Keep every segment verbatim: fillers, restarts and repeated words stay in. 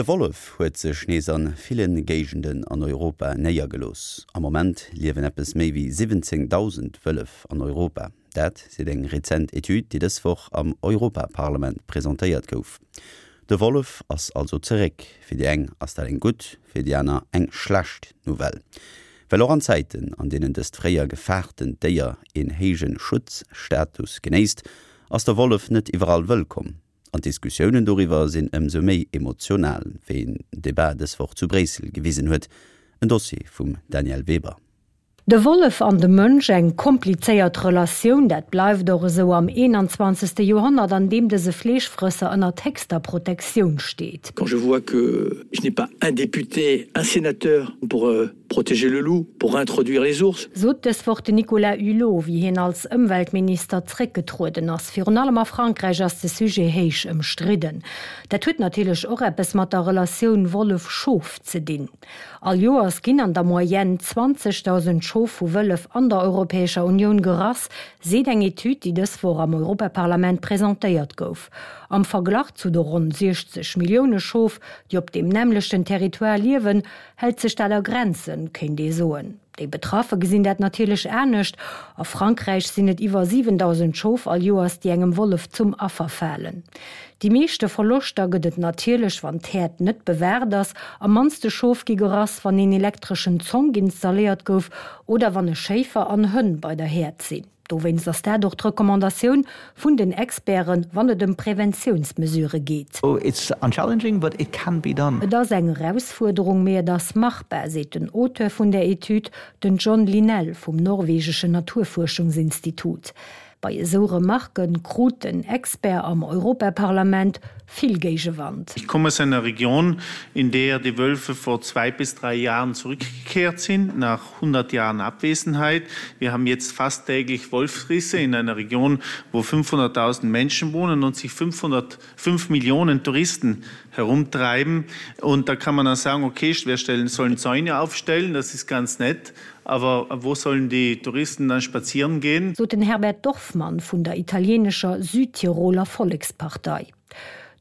De Wollef huet sech nees a ville Géigenden an Europa néiergelooss. Am Moment liewen eppes méi wéi siwwenzéngdausend Wëllef an Europa. Dat seet eng rezent Etüd, déi dës Woch am Europaparlament presentéiert gouf. De Wollef ass also zeréck. Fir déi eng ass dat eng gutt, fir déi aner eng schlecht Nouvelle. Well och an Zäiten, an deenen dëst fréier gefaartent Déier een héije Schutzstatus genéisst, ass de Wollef net iwwerall wëllkomm. An d'Diskussiounen doriwwer sinn ëmsou méi emotional, wéi en Debat dës Woch zu Bréissel gewisen huet. En Dossier vum Danièle Weber. De Wollef an de Mënsch, eng komplizéiert Relatioun, dat bleift och esou am eenanzwanzegste Joerhonnert, an deem dëse Fleeschfrësser ënner héchster Protektioun steet. Quand je vois que je n'ai pas un député, un sénateur pour protéger le loup, pour introduire les ours. Sot dës Woch den Nicolas Hulot, wéi hien als Ëmweltminister zréckgetrueden ass. Virun allem a Frankräich ass de Sujet héich ëmstridden. Dat huet natierlech och eppes mat der Relatioun Wollef-Schof ze dinn. All Joers ginn an der Moyenne zwanzegdausend Schof vu Wëllef an der Europäescher Unioun gerass, seet eng Etüd, déi dës Woch am Europaparlament presentéiert gouf. Am Verglach zu de ronn siechzeg Millioune Schof, déi op deem nämmlechten Territoire liewen, hält sech dat a Grenzen, kéint ee soen. Déi Betraffe gesinn dat natierlech anescht. A Frankräich sinn et iwwer siwendausend Schof all Joers, déi engem Wollef zum Affer falen. Déi meeschte Verloschter gëtt et natierlech, wann d'Häerd net bewaacht ass. Am mannste Schof gi gerass, wann een elektreschen Zonk installéiert gouf oder wann e Schéifer an Hënn bei der Häerd sinn. Dowéinst ass dat och d'Recommandatioun vun den Experten, wann et ëm Preventiounsmesurë geet. Et ass eng Erausfuerderung, mee et ass machbar, seet den Auteur vun der Etüd, den John Linnell vum norwegeschen Naturfuerschungsinstitut. Bei esou Remarke krut den Expert am Europaparlament vill Géigewand. Ich komme aus einer Region, in der die Wölfe vor zwei bis drei Jahren zurückgekehrt sind, nach hundert Jahren Abwesenheit. Wir haben jetzt fast täglich Wolfsrisse in einer Region, wo fünfhunderttausend Menschen wohnen und sich fünfhundert, fünf Millionen Touristen herumtreiben. Und da kann man dann sagen, okay, wir stellen, sollen Zäune aufstellen, das ist ganz nett, aber wo sollen die Touristen dann spazieren gehen? Sot den Herbert Dorfmann vun der italieenescher Südtiroler Vollekspartei.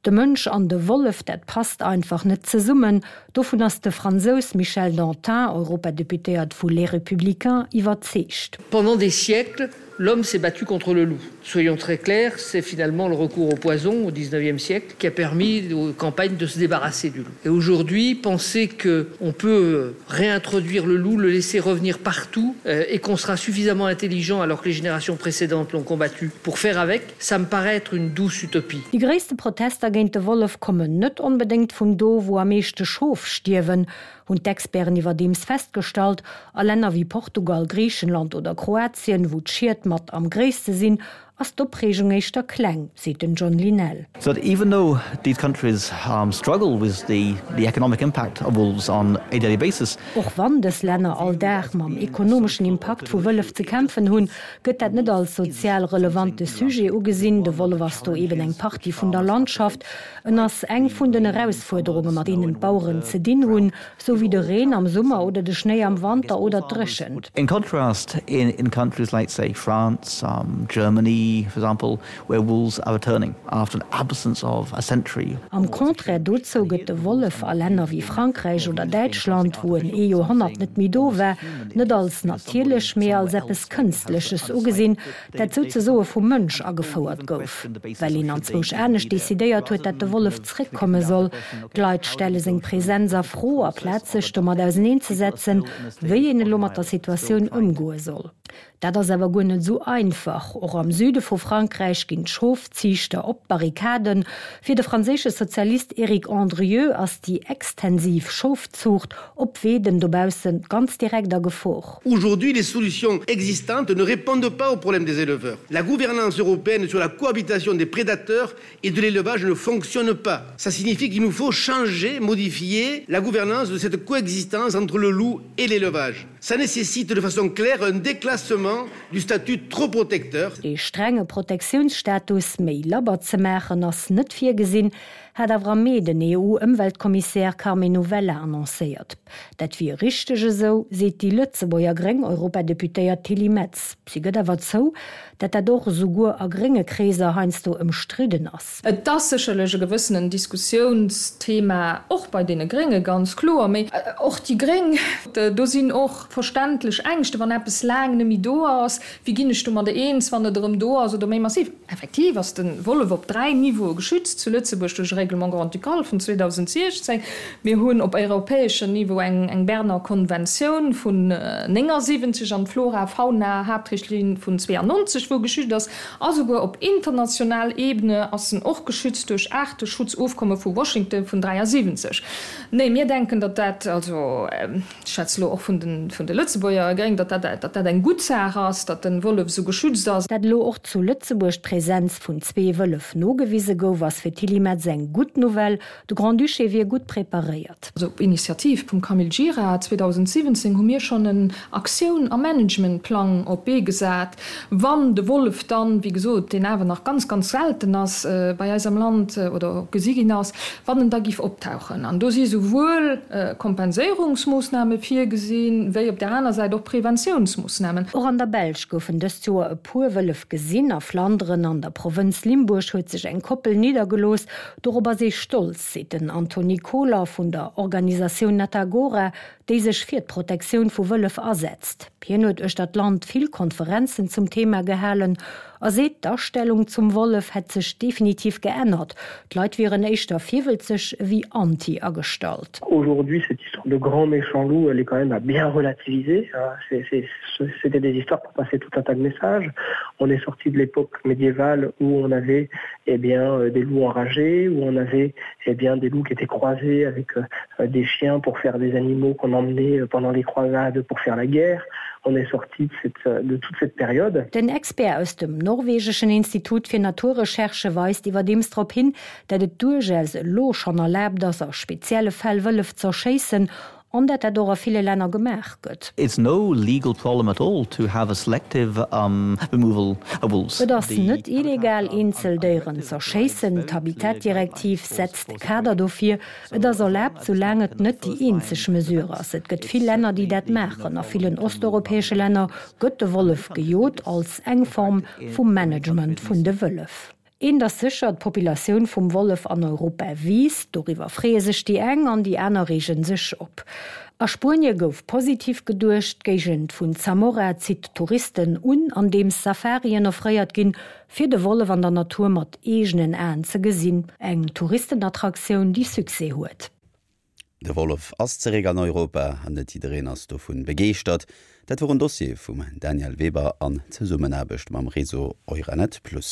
De Mënsch an de Wollef, dat passt einfach net zesummen, dovun ass de Fransous Michel Dantin, Europadeputéiert vu Les Républicains, iwwerzeegt. Pendant des siècles, l'homme s'est battu contre le loup. Soyons très clairs, c'est finalement le recours au poison au dix-neuvième siècle qui a permis aux campagnes de se débarrasser du loup. Et aujourd'hui, penser qu'on peut réintroduire le loup, le laisser revenir partout, euh, et qu'on sera suffisamment intelligent alors que les générations précédentes l'ont combattu pour faire avec, ça me paraît être une douce utopie. Déi gréisste Protester géint de Wollef kommen net onbedéngt vun do, wou am meeschte Schof stierwen, hunn d'Experten iwwerdeems festgestallt. A Länner wéi Portugal, Griichenland oder Kroatien, wou d'Schied mat am gréisste sinn, ass d'Opreegung éischter kleng, seet den John Linnell. So that even though these countries struggle with the the economic impact of wolves on a daily basis. Och wann dës Länner all Dag mam ekonomeschen Impakt vu Wëllef ze kämpfen hunn, gëtt dat net als sozial relevante Sujet ugesinn. De Wollef ass do eben eng Partie vun der Landschaft. En ass eng vun den Erausfuerderunge mat deenen d'Baueren ze dinn hunn, sou wéi de Reen am Summer oder de Schnéi am Wanter oder d'Dréchent. In contrast, in in countries like say France, Germany, for example, where wolves are returning after an absence of a century. Am Contraire dozou gëtt de Wollef a Länner wéi Frankräich oder Däitschland, wou en ee Joerhonnert net méi do war, net als natierlech, mee als eppes Kënstleches ugesinn, dat souzesoe vum Mënsch agefouert gouf, well een anzwousch anescht decidéiert huet, dat de Wollef zréckkomme soll. D'Leit stelle seng Presenz a Fro, aplaz sech domat auserneenzesetzen, wéi een elo mat der Situatioun ëmgoe soll. Dat ass awer guer net esou einfach. Och am Süde vu Frankräich ginn d'Schofziichter op d'Barrikaden. Fir de franséische Sozialist Eric Andrieu ass déi extensiv Schofzuucht op Weeden dobausse ganz direkt a Gefor. Aujourd'hui, les solutions existantes ne répondent pas aux problèmes des éleveurs. La gouvernance européenne sur la cohabitation des prédateurs et de l'élevage ne fonctionne pas. Ça signifie qu'il nous faut changer, modifier la gouvernance de cette coexistence entre le loup et l'élevage. Ça nécessite de façon claire un déclassement du statut trop protecteur. Dee strenge Protektiounsstatus méi labber ze maachen ass net virgesinn, hat awer am Mee den EU-Ëmweltkommissär Karmenu Vella annoncéiert. Dat wier richteg esou, seet déi Lëtzebuerger gréng Europadeputéiert Tilly Metz. Si gëtt awer zou, datt dat och esouguer a grénge Kreeser heiansdo ëmstridden ass. Et ass sécherlech e gewëssenen Diskussiounsthema, och bei deene Grénge ganz kloer, mee och déi Gréng, do sinn och verständlech Ängschte wann eppes laang net méi do ass, wéi ginn ech domadder eens, wann et erëm do ass oder méi massiv. Effektiv ass de Wollef op dräi Niveaue geschützt zu Lëtzebuerg duerch e Règlement grand-ducal vun zweedausendsiechzéng. Mir hunn op europäeschem Niveau eng eng Berner Konventioun vun néngasiwwenzeg an d'Flora-Fauna-Haaptrichtlinn vun zweeannonzeg, wou geschützt ass. A souguer op international Ebene ass en och geschützt duerch Aarteschutzofkomme vu Washington vun dräiasiwwenzeg. Nee, mir denken, datt dat, also ech schwätze elo och vun de vun de Lëtzebuerger Gréng, datt dat datt dat eng gutt Saach ass, datt de Wollef esou geschützt ass. Dat elo och zu Lëtzebuerg d'Presenz vun zwee Wëllef nogewise gouf, ass fir d'Tilly Metz eng gutt Nouvelle. De Grand-Duché wier gutt preparéiert. Also op Initiativ vum Camille Gira zweedausendsiwwenzéng hu mir schonn en Aktioun a Managementplang op d'Bee gesat, wann de Wollef dann, wéi gesot, deen awer nach ganz, ganz selten ass bei eis am Land oder gesi ginn ass, wann en da giff optauchen. An do si souwuel Kompenséierungsmoossname virgesinn, wéi op där aner Säit och Preventiounsmoossnamen. Och an der Belsch goufen dëst Joer e puer Wëllef gesinn. A Flanderen an der Provënz Limburg huet sech eng Koppel niddergelooss. Dorop ass ee stolz, seet den Antony Kohler vun der Organisatioun Natagora, déi sech fir d'Protektioun vu Wëllef asetzt. Hien huet uechter d'Land vill Konferenzen zum Thema gehalen a seet, d'Astellung zum Wollef hätt sech definitiv geännert, d'Leit wieren éischter virwëlzeg ewéi anti agestallt. Aujourd'hui, cette histoire de grand méchant loup, elle est quand même à bien relativiser. C'était des histoires pour passer tout un tas de messages. On est sorti de l'époque médiévale où on avait eh bien, des loups enragés, où on avait eh bien, des loups qui étaient croisés avec des chiens pour faire des animaux qu'on emmenait pendant les croisades pour faire la guerre. On est sorti de, cette, de toute cette période. Den Expert aus dem norwegeschen Institut fir Naturrecherche weist iwwerdeems drop hin, datt et duerchaus elo schonn erlaabt ass, a spezielle Fäll Wëllef z'erschéissen, an datt dat och a ville Länner gemaach gëtt. It's no legal problem at all to have a selective um, removal of wolves. Et ass net illegal, eenzel Déieren z'erschéissen. D'Habitatdirektiv setzt de Kader dofir. Et ass erlaabt, soulaang et net déi eenzeg Mesure ass. Et gëtt vill Länner, déi dat maachen. A villen osteuropäesche Länner gëtt de Wollef gejot als eng Form vum Management vun de Wëllef. Eent ass sécher, d'Populatioun vum Wollef an Europa wiisst. Doriwwer freeë sech déi eng an déi aner reege sech op. A Spuenie gouf positiv geduecht, D'Géigend vun Zamora zitt Touristen un, andeems Safarien offréiert ginn, fir de Wollef an der Natur mat eegenen Aen ze gesinn. Eng Touristenattraktioun, déi Succès huet. De Wollef ass zeréck an Europa an net jiddereen ass dovun begeeschtert. Dat wor en Dossier vum Danièle Weber an Zesummenaarbecht mam Réseau Euranet Plus.